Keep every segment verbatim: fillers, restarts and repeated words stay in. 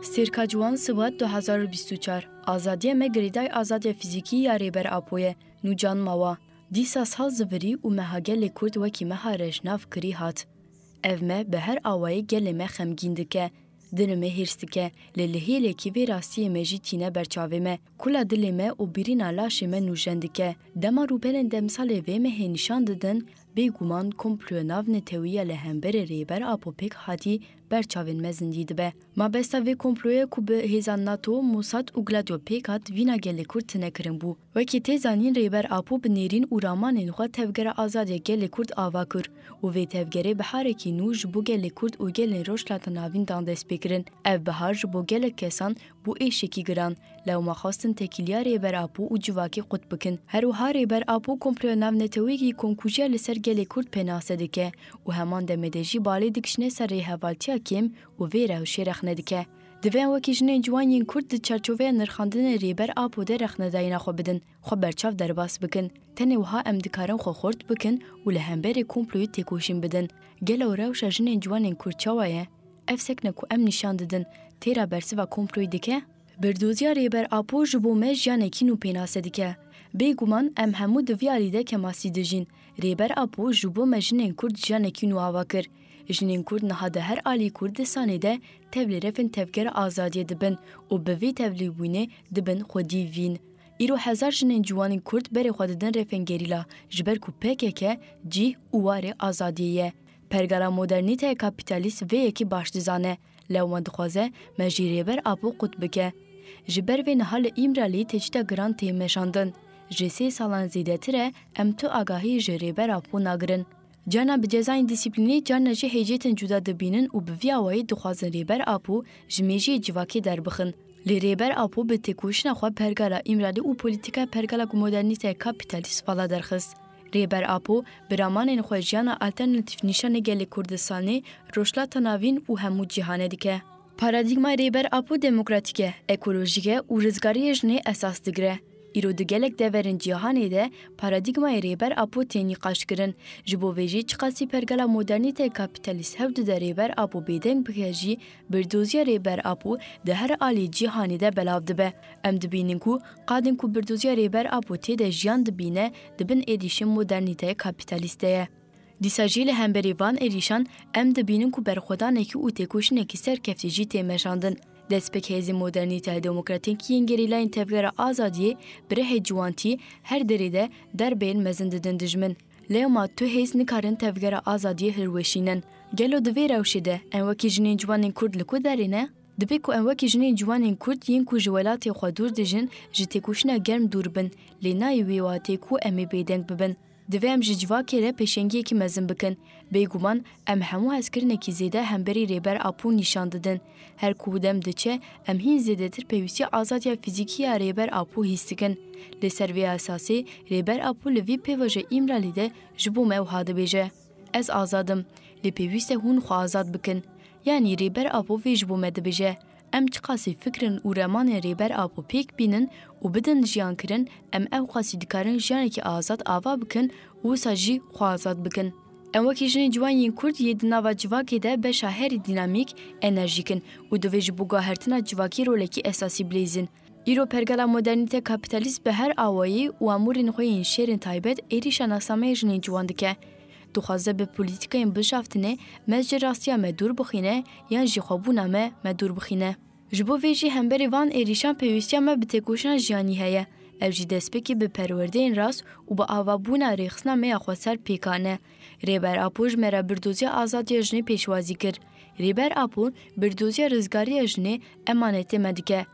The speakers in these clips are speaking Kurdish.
Sêrka Ciwan, Sibat du hezar û bîst û çar. Azadiya me girêdayî azadiya fîzîkî ya Rêber Apo ye. Nûcan Mawa. Dîsa sal zivirî û meha gelê Kurd wekî meha rejnav kirî hat. Ev me bi her awayî gelê me xemgîn dike. Dilê me hêrs dike. Lê li hêlekî vê rastiyê me jî tîne ber çavê me. Kula dilê me û birîna laşê me nûjen dike. Dema rûpelên demsalê vê mehê nîşan didin, bêguman komploya navnetewî ya li hemberî Rêber Apo pêk hatî ber çavên me zindî dibe. Mabesta vê komployê ku bi hêzan NATO, Mossad û Gladio pêk hat, vîna gelê Kurd tune kirin bû. Wekî tê zanîn, Rêber Apo bi nêrîn û ramanên xwe tevgera azadiya gelê Kurd ava kir û vê tevgerê biharekî nû ji bo gelê Kurd û gelên Rojhilata Navîn dan destpêkirin. Ev bihar ji bo gelek kesan bû êşekî giran. Lewma xwestin têkiliya Rêber Apo û civakê qut bikin. Her wiha Rêber Apo komploya navneteweyekî komkujiya li ser gelê Kurd pênase dike û heman demê de jî balê dikişîne ser rêhevaltiya kêm û vê rewşê rexne dike. Divê em wekî jinên ciwan yên Kurd di çarçoveya nirxandinê Rêber Apo de rexnedayîna xwe bidin, xwe berçav derbas bikin. Tenê wiha em dikarin xwe xurt bikin û li hemberî komployê têkoşîn bidin. Gelo rewşa jinên ciwanên Kurd çawa ye? Ev sekne ku em nîşan didin, têra bersiva komployê dike? Birdoziya Rêber Apo ji bo me jiyanekî nû pênase dike. Bêguman em hemû di vî alî de kemasî dijîn. Rêber Apo ji bo me jinên Kurd jiyanekî nû ava kir. Jinên Kurd niha di her alî Kurdistanê de tevlî refên tevgera azadiyê dibin û bi vî tevlîbûnê dibin xwedî vîn. Îro hezar jinên ciwanên Kurd berê xwe didin refên gerîla, ji ber ku P K K cîh û warê azadiyê ye. Pergala modernîteyê kapîtalîst vê yekê baş dizane. Lewma dixwaze me jî Rêber Apo qut bike. Ji ber vê niha li Îmralî tecrîda giran tê meşandin. Ji sê salan zêdetir e em tu agahî ji Rêber Apo nagirin. Carna bi cezayên dîsîplînî, carna jî hêcêtên cuda dibînin û bi vî awayî dixwazin Rêber Apo ji mêjiyê civakê derbixin. Lê Rêber Apo bi têkoşîna xwe pergala Îmralî û polîtîkaya pergala ku modernîteyê kapîtalîst vala derxist. Rêber Apo bi ramanên xwe jiyana alternatîf nîşanê gelê Kurdistanê, Rojhilata Navîn û hemû cîhanê dike. Paradîgmaya Rêber Apo demokratîk e, ekolojîk e û rizgariyê jinê esas digire. Îro di gelek deverên cîhanê de paradîgmayê Rêber Apo tê nîqaşkirin. Ji bo vê jî çiqasî pergala modernîteyê kapîtalîst hewl dide Rêber Apo bêdeng bike jî, birdoziya Rêber Apo di her alî cîhanê de belav dibe. Em dibînin ku qadên ku birdoziya Rêber Apo tê de jiyan dibîne, di bin êrîşên modernîteyê kapîtalîst de ye. Dîsa jî li hemberî van êrîşan em dibînin ku berxwedanekî û têkoşînekî serkeftî jî tê meşandin. Destpêk hêzên modernîteya demokratîk yên gerîlayên tevgera azadiyê bi rihê ciwantî her derê de derbeyên mezin didin dijmin. Lewma tu hêz nikarin tevgera azadiyê hilweşînin. Gelo di vê rewşê de em wekî jinên ciwanên Kurd li ku derê ne? Dibe ku em wekî jinên ciwanên Kurd yên ku ji welatê xwe dûr dijin, ji têkoşîna germ dûr bin, lê nayê wê watê ku em ê bêdeng bibin. Divê em ji civakê re pêşengiyekî mezin bikin. Bêguman em hemû hezkirinekî zêde hemberî Rêber Apo nîşan didin. Her ku dem diçe, em hîn zêdetir pêwîstiya azadiya fîzîkî ya Rêber Apo hîs dikin. Li ser vê esasê Rêber Apo li vî pêvajoya Îmralî de ji bo me wiha dibêje, Ez azad im, lê pêwîst e hûn xwe azad bikin. Yanî Rêber Apo vê ji bo me dibêje. Em çiqasî fikrin û remanên Rêber Apo pêk bînin û bidin jiyan kirin, em ewqasî dikarin jiyanekî azad ava bikin û wisa jî xwe azad bikin. Em wekî jinên ciwan yên Kurd yê di nava civakê de beşa herî dînamîk, enerjîk in û divê ji bo guhertina civakî rolekî esasî bilîzin. Îro pergala modernîte kapîtalîst bi her awayî û amûrên xwe yên şêrên taybet êrîşa nasnameyê jinên ciwan dike. Dixwaze bi polîtîkayên bişaftinê me ji rastiya me dûr bixîne yan jî xwebûna me me dûr bixîne. Ji bo vê jî hemberî van êrîşan pêwîstiya me bi têkoşîna jiyanî heye. Ev jî destpêkê bi perwerdeyên rast û bi avabûna rêxistina me ya xweser pêk hane. Rêber Apo ji me re birdoziya azadiya jinê pêşwazî kir. Rêber Apo birdoziya rizgariya jinê emanetê me dike.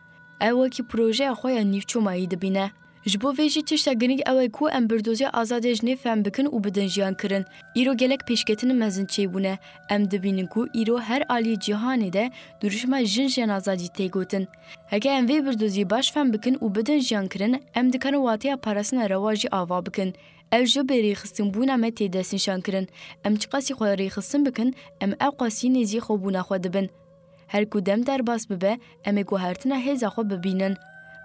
Ew wekî projeya xwe ya nîvçomayî dibîne. Ji bo vê jî tişta girîng ew e ku em birdoziya azadiya jinê fehm bikin û bidin jiyan kirin. Îro gelek pêşketinên mezin çêbûne. Em dibînin ku îro her aliyê cîhanê de duruşma jin jin azadî tê gotin. Heke em vê birdoziyê baş fehm bikin û bidin jiyan kirin, em dikarin wateya parastina rewa jî ava bikin. Ew ji bêrêxistinbûna me tê destnîşankirin. Em çiqasî xwe rêxistin bikin, em ewqasî nêzî xwebûna xwe dibin. Her ku dem derbas bibe, em ê guhertina hêza xwe bibînin.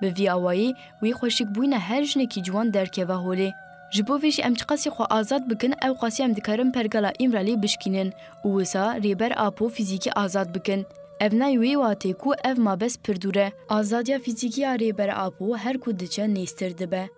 Bi vî awayî, wî xweşikbûyîna her jinekî ciwan derkeve holê. Ji bo vê jî em çiqasî xwe azad bikin, ew qasî em dikarin pergala Îmralî bişkînin û wisa Rêber Apo fîzîkî azad bikin. Ev nayê wê watê ku ev mabest pir dûr e. Azadiya fîzîkî ya Rêber Apo her ku diçe nêztir dibe.